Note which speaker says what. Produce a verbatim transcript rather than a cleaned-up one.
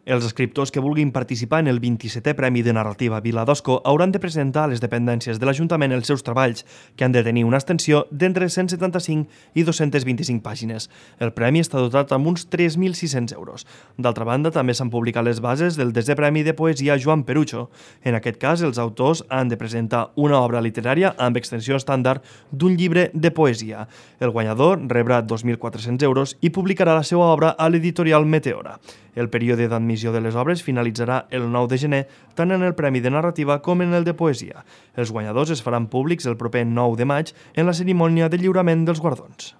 Speaker 1: Els escriptors que vulguin participar en el vint-i-setè Premi de Narrativa Vila d'Osco hauran de presentar a les dependències de l'Ajuntament els seus treballs, que han de tenir una extensió d'entre cent setanta-cinc i dos-centes vint-i-cinc pàgines. El premi està dotat amb uns tres mil sis-cents euros. D'altra banda, també s'han publicat les bases del desè Premi de Poesia Joan Perucho. En aquest cas, els autors han de presentar una obra literària amb extensió estàndard d'un llibre de poesia. El guanyador rebrà dos mil quatre-cents euros i publicarà la seva obra a l'editorial Meteora. El període d'admissió de les obres finalitzarà el nou de gener, tant en el Premi de Narrativa com en el de Poesia. Els guanyadors es faran públics el proper nou de maig en la cerimònia de lliurament dels guardons.